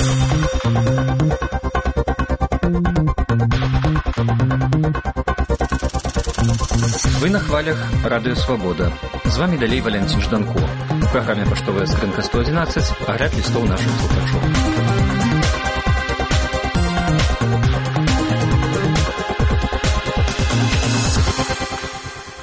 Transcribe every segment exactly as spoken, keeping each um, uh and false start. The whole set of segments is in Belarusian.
Вы на хвалях Радио Свобода. З вами далей Валентин Жданко. В программе «Поштовая скрынка сто одиннадцать» огляд листов наших слухачов.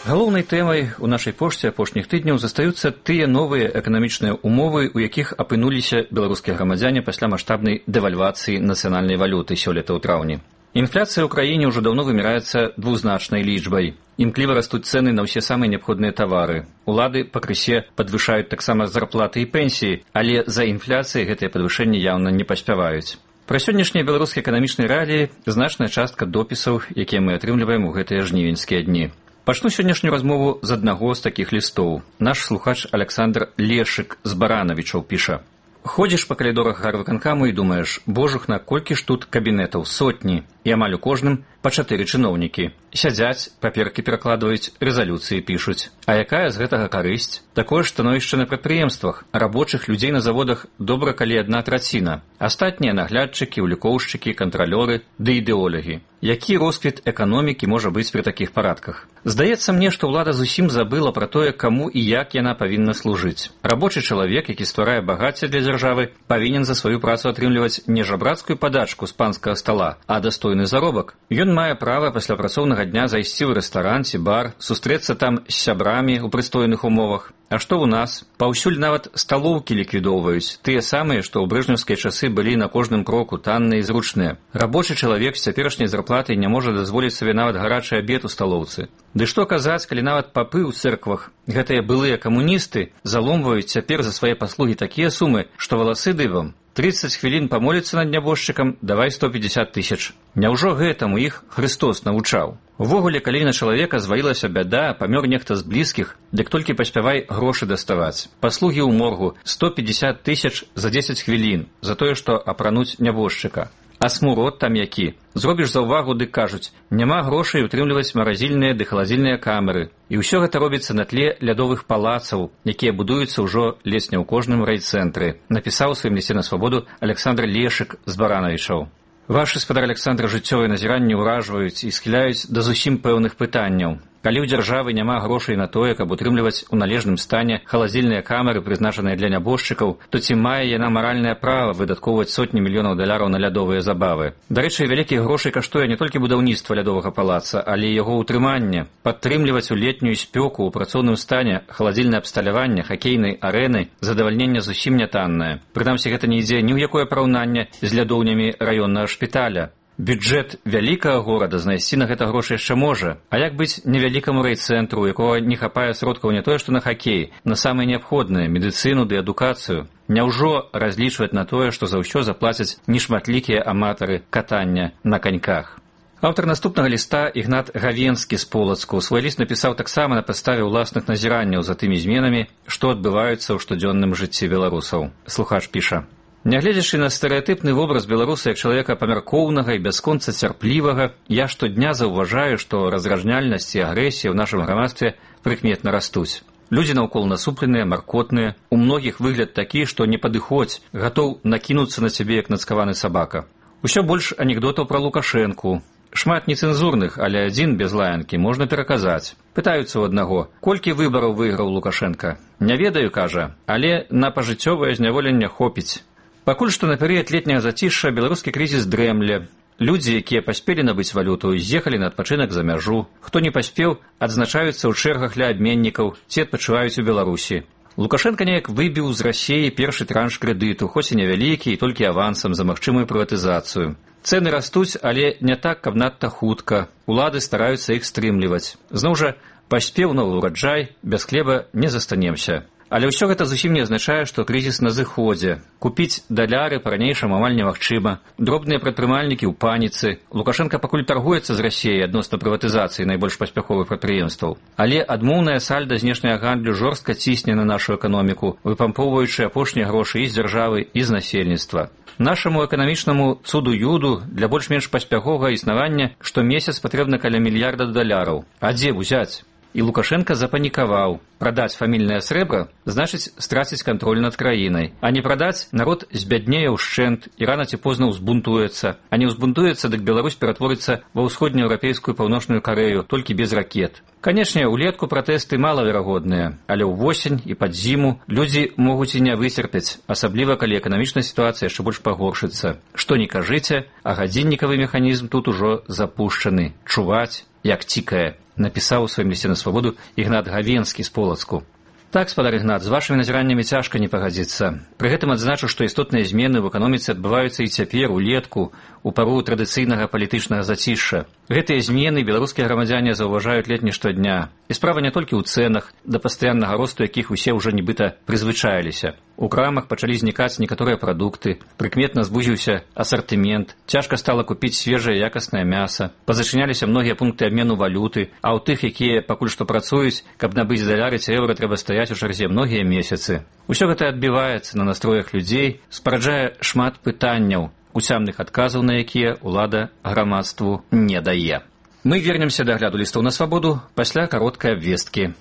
Галоўнай тэмай у нашай пошце апошніх тыдняў застаюцца тыя новыя эканамічныя ўмовы, у якіх апынуліся беларускія грамадзяне пасля маштабнай дэвальвацыі нацыянальнай валюты сёлета ў траўні. Інфляцыя ў краіне ўжо даўно вымяраецца двузначнай лічбай. Імкліва растуць цэны на ўсе самыя неабходныя тавары. Улады пакрысе падвышаюць таксама зарплаты і пенсіі, але за інфляцыяй гэтыя падвышэнні яўна не паспяваюць. Пра сённяшнія беларускія эканамічныя рэаліі значная частка допісаў, якія мы атрымліваем у гэтыя жнівеньскія дні. Пачну сённяшнюю размову з аднаго з такіх лістоў. Наш слухач Александр Лешык з Баранавічаў піша: «Ходзіш па калідорах гарвыканкаму і думаеш, божухна, колькі ж тут кабінетаў, сотні, і амаль у кожным па чатыры чыноўнікі. Сядзяць, паперкі перакладваюць, рэзалюцыі пішуць. А якая з гэтага карысць? Такое ж становішча на прадпрыемствах, рабочых людзей на заводах добра калі адна траціна. Астатнія наглядчыкі, улікоўшчыкі, кантралёры ды ідэолагі. Які росквіт эканомікі можа быць пры такіх парадках? Здаецца мне, што ўлада зусім забыла пра тое, каму і як яна павінна служыць. Рабочы чалавек, які стварае багацце для дзяржавы, павінен за сваю працу атрымліваць не жабрацкую падачку з панскага стала, а дастойны заробак. Ён мае права пасля працоўнага дня зайсці ў рэстаран ці бар, сустрэцца там з сябрамі ў прыстойных умовах. А што ў нас? Паўсюль нават сталоўкі ліквідоўваюць, тыя самыя, што ў брэжнеўскія часы былі на кожным кроку танныя і зручныя. Рабочы чалавек з цяперашняй зарплатай не можа дазволіць сабе нават гарачы абед у сталоўцы. Ды што казаць, калі нават папы ў цэрквах, гэтыя былыя камуністы, заломваюць цяпер за свае паслугі такія сумы, што валасы дыбам. тридцать хвілін памоліцца над нябожчыкам, давай сто пятьдесят тысяч. Няўжо гэтаму іх Христос навучаў? Увогуле, калі на чалавека звалілася бяда, памёр нехта з блізкіх, дык толькі паспявай грошы даставаць. Паслугі ў моргу сто пятьдесят тысяч за дзесяць хвілін, за тое, што апрануць нябожчыка. А смурод там які? Зробіш заўвагу, дык кажуць, няма грошай утрымліваць маразільныя ды халадзільныя камеры. І ўсё гэта робіцца на тле лядовых палацаў, якія будуюцца ўжо ледзь не ў кожным райцэнтры, напісаў у сваім лісце на свабоду Александр Лешык з Баранавічаў. Вашы, спадар Александр, жыццёвыя назіранні ўражваюць і схіляюць да зусім пэўных пытанняў. Калі ў дзяржавы няма грошай на тое, каб утрымліваць у належным стане халадзільныя камеры, прызначаныя для нябожчыкаў, то ці мае яна маральнае права выдаткоўваць сотні мільёнаў даляраў на лядовыя забавы? Дарэчы, вялікіх грошай каштуе не толькі будаўніцтва лядовага палаца, але і яго ўтрыманне. Падтрымліваць у летнюю спёку ў працоўным стане халадзільнае абсталяванне хакейнай арэны задавальненне зусім нятаннае. Прынамсі, гэта не ідзе ні ў якое параўнанне з лядоўнямі раённага шпіталя. Бюджэт вялікага горада знайсці на гэта грошы яшчэ можа. А як быць невялікаму райцэнтру, у якога не хапае сродкаў не тое, што на хакей, на самае неабходнае, медыцыну ды адукацыю? Няўжо разлічваць на тое, што за ўсё заплацяць нешматлікія аматары катання на каньках? Аўтар наступнага ліста Ігнат Гавенскі з Полацку свой ліст напісаў таксама на падставе ўласных назіранняў за тымі зменамі, што адбываюцца ў штодзённым жыцці беларусаў. Слухач піша: «Нягледзячы на стэрэатыпны вобраз беларуса як чалавека памяркоўнага і бясконца цярплівага, я штодня заўважаю, што разражняльнасць і агрэсія ў нашым грамадстве прыкметна растуць. Людзі наўкол насупленыя, маркотныя, у многіх выгляд такі, што не падыходзь, гатоў накінуцца на цябе як нацкаваны сабака. Усё больш анекдотаў пра Лукашэнку. Шмат нецэнзурных, але адзін без лаянкі можна пераказаць. Пытаюцца ў аднаго, колькі выбараў выйграў Лукашэнка. Не ведаю, кажа, але на пажыццёвае зняволенне хопіць. Пакуль што на перыяд летняга зацішша беларускі крызіс дрэмле. Людзі, якія паспелі набыць валюту, з'ехалі на адпачынак за мяжу. Хто не паспеў, адзначаюцца ў чэргах ля абменнікаў ці адпачываюць у Беларусі. Лукашенка неяк выбіў з Расіі першы транш крэдыту, хоць і невялікі, і толькі авансам за магчымую прыватызацыю. Цэны растуць, але не так, каб надта хутка. Улады стараюцца іх стрымліваць. Зноў жа, паспеў новы ўраджай, без хлеба не застанемся. Але ўсё гэта зусім не азначае, што крызіс на зыходзе. Купіць даляры па-ранейшаму амаль немагчыма. Дробныя прадпрымальнікі ў паніцы. Лукашенка пакуль таргуецца з Расіяй адносна прыватызацыі найбольш паспяховых прадпрыемстваў. Але адмоўная сальда знешняга гандлю жорстка цісне на нашу эканоміку, выпампоўваючы апошнія грошы і з дзяржавы, і з насельніцтва. Нашаму эканамічнаму цуду-юду для больш-менш паспяховага існавання штомесяц патрэбна каля мільярда даляраў. А дзе ўзяць? І Лукашенко запанікаваў. Прадаць фамільнае срэбра значыць страціць кантроль над краінай. А не прадаць, народ збяднее ўшчэнт і рана ці позна ўзбунтуецца. А не ўзбунтуецца, дык Беларусь ператворыцца ва ўсходнееўрапейскую паўночную Карэю, толькі без ракет. Канечне, улетку пратэсты малаверагодныя, але ўвосень і пад зіму людзі могуць і не выцерпяць, асабліва калі эканамічная сітуацыя яшчэ больш пагоршыцца. Што не кажыце, а гадзіннікавы механізм тут ужо запушчаны. Чуваць, як цікае, напісаў у сваім лісце на свабоду Ігнат Гавенскі з Полацку. Так, спадар Ігнат, з вашымі назіраннямі цяжка не пагадзіцца. Пры гэтым адзначу, што істотныя змены ў эканоміцы адбываюцца і цяпер, улетку, у пару традыцыйнага палітычнага зацішша. Гэтыя змены беларускія грамадзяне заўважаюць ледзь не штодня. І справа не толькі ў цэнах, да пастаяннага росту якіх усе ўжо нібыта прызвычаіліся. У крамах пачалі знікаць некаторыя прадукты, прыкметна звузіўся асартымент, цяжка стала купіць свежае якаснае мяса, пазачыняліся многія пункты абмену валюты, а ў тых, якія пакуль што працуюць, каб набыць даляры ці еўра, трэба стаяць у чарзе многія месяцы. Усё гэта адбіваецца на настроях людзей, спараджае шмат пытанняў, уцямных адказаў на якія ўлада грамадству не дае. Мы вернемся да агляду лістоў на свабоду пасля кароткай абвесткі.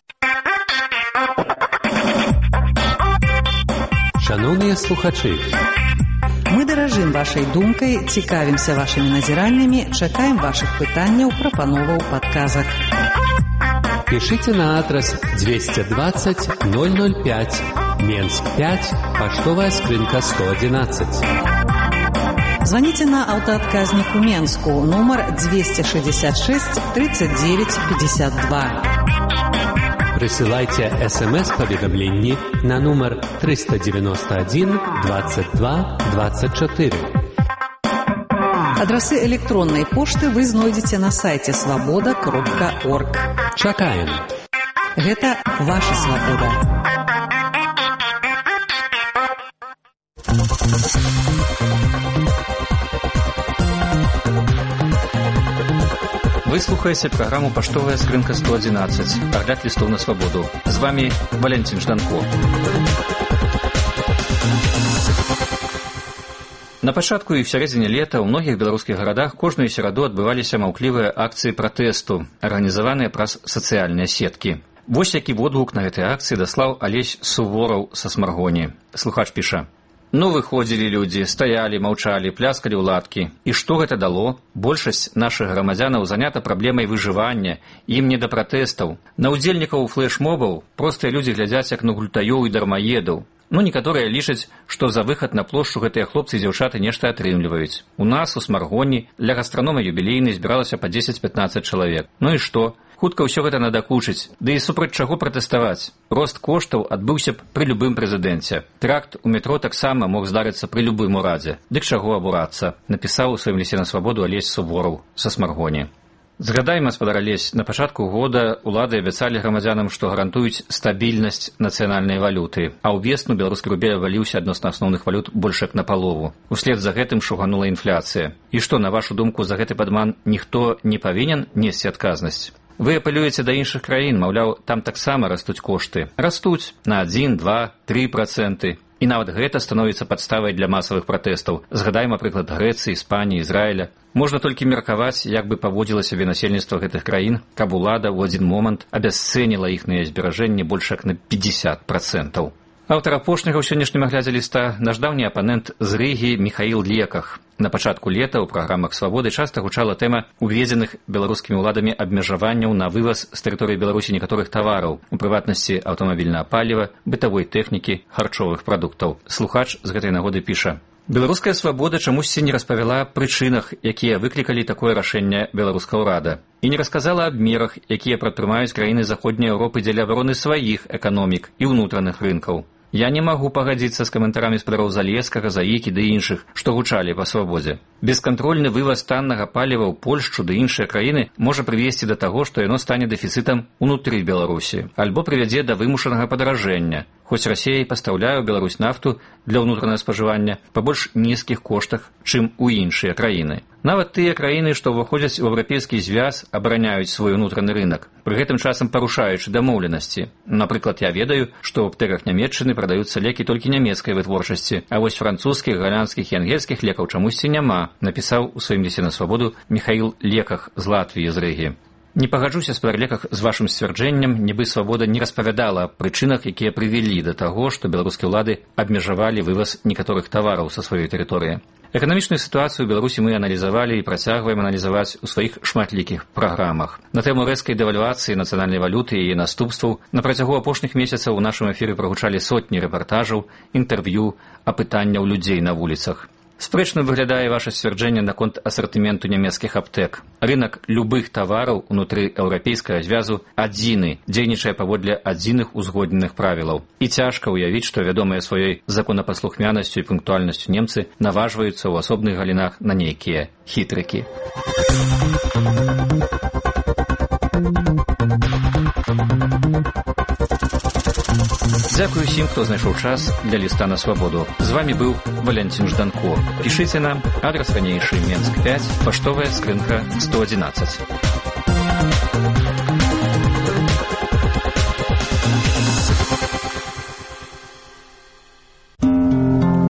Шановныя слухачы, мы даражым вашай думкай, цікавімся вашымі назіраннямі, чакаем вашых пытанняў, прапановаў, падказак. Пишите на адрес двести двадцать ноль ноль пять, Менск пять, поштовая скрынка сто одиннадцать. Звоните на аўтаадказнік у Менску, нумар двести шестьдесят шесть тридцать девять пятьдесят два. Присылайте смс-поведомление на номер триста девяносто один двадцать два двадцать четыре. Адрасы электронной пошты вы знойдзеце на сайте свобода кропка орг. Чакаем. Гэта ваша свабода. Вы слухаеце праграму «Паштовая скрынка сто одиннадцать», агляд лістоў на свабоду. З вами Валентин Жданко. На пачатку і в сярэдзіне лета ў многіх беларускіх гарадах кожную сераду адбываліся маўклівыя акцыі пратэсту, арганізаваныя праз сацыяльныя сеткі. Вось які водгук на гэтай акцыі даслаў Алесь Сувораў са Смаргоні. Слухач піша: «Ну, выходзілі людзі, стаялі, маўчалі, пляскалі ў ладкі. І што гэта дало? Большасць нашых грамадзянаў занята праблемай выжывання, ім не да пратэстаў. На ўдзельнікаў флэш-мобаў простыя людзі глядзяць як на гультаёў і дармаедаў. Ну, некаторыя лічаць, што за выхад на плошчу гэтыя хлопцы і дзяўчаты нешта атрымліваюць. У нас, у Смаргоні, для гастранома юбілейнай збіралася па дзесяць-пятнаццаць чалавек. Ну і што? Хутка ўсё гэта надакучыць. Ды і супраць чаго пратэставаць? Рост коштаў адбыўся б пры любым прэзідэнце. Тэракт у метро таксама мог здарыцца пры любым урадзе. Дык чаго абурацца? Напісаў у сваім лісце на свабоду Алесь Сувораў са Смаргоні. Згадаем, гаспадар Алесь, на пачатку года улады абяцалі грамадзянам, што гарантуюць стабільнасць нацыянальнай валюты, а ў весну беларускі рубель абваліўся адносна асноўных валют больш як напалову. Услед за гэтым шуганула інфляцыя. І што, на вашу думку, за гэты падман ніхто не павінен несці адказнасць? Вы апелюеце да іншых краін, маўляў, там таксама растуць кошты. Растуць на адзін, два, тры працэнты. І нават гэта становіцца падставай для масавых пратэстаў. Згадаем, напрыклад, Грэцыі, Іспаніі, Ізраіля. Можна толькі меркаваць, як бы паводзіла сябе насельніцтва гэтых краін, каб улада ў адзін момант абясцэніла іхныя зберажэнні больш як на пятьдесят процентов. Аўтар апошняга ў сённяшнім аглядзе ліста наш даўні апанент з Рыгі Міхаіл Леках. На пачатку лета ў праграмах «Свабоды» часта гучала тэма уведзеных беларускімі ўладамі абмежаванняў на вываз з тэрыторыі Беларусі некаторых тавараў, у прыватнасці аўтамабільнага паліва, бытавой тэхнікі, харчовых прадуктаў. Слухач з гэтай нагоды піша: «Беларуская свабода чамусьці не распавяла аб прычынах, якія выклікалі такое рашэнне беларускага ўрада, і не расказала аб мерах, якія прадпрымаюць краіны заходняй Еўропы дзеля абароны сваіх эканомік і ўнутраных рынкаў. Я не магу пагадзіцца з каментарамі спадароў Залескага, Заікі ды іншых, што гучалі па свабодзе. Бескантрольны вываз таннага паліва ў Польшчу ды іншыя краіны можа прывесці да таго, што яно стане дэфіцытам унутры Беларусі, альбо прывядзе да вымушанага падаражэння. Хоць Расія і пастаўляе ў Беларусь нафту для ўнутранага спажывання па больш нізкіх коштах, чым у іншыя краіны. Нават тыя краіны, што ўваходзяць у еўрапейскі звяз, абараняюць свой унутраны рынак, пры гэтым часам парушаючы дамоўленасці. Напрыклад, я ведаю, што ў аптэках Нямецчыны прадаюцца лекі толькі нямецкай вытворчасці, а вось французскіх, галандскіх і ангельскіх лекаў чамусьці няма, напісаў у сваім лісце на свабоду Міхаіл Леках з Латвіі, з Рыгі. Не пагаджуся з пераліках з вашым сцвярджэннем, нібы свабода не распавядала аб прычынах, якія прывялі да таго, што беларускія ўлады абмежавалі вываз некаторых тавараў са сваёй тэрыторыі. Эканамічную сітуацыю ў Беларусі мы аналізавалі і працягваем аналізаваць у сваіх шматлікіх праграмах. На тэму рэзкай дэвальвацыі нацыянальнай валюты і яе наступстваў на працягу апошніх месяцаў у нашым эфіры прагучалі сотні рэпартажаў, інтэрв'ю, апытанняў людзей на вуліцах. Спрэчным выглядае ваша сцвярджэнне наконт асартыменту нямецкіх аптэк. Рынак любых тавараў унутры еўрапейскага звязу адзіны, дзейнічае паводле адзіных узгодненых правілаў. І цяжка ўявіць, што вядомыя сваёй законапаслухмянасцю і пунктуальнасцю немцы наважваюцца ў асобных галінах на нейкія хітрыкі. Дзякую усім, хто знайшоў час для ліста на свабоду. З вами быў Валянцін Жданко. Пішыце нам, адрас ранейшы Менск пяць, паштовая скрынка сто адзінаццаць.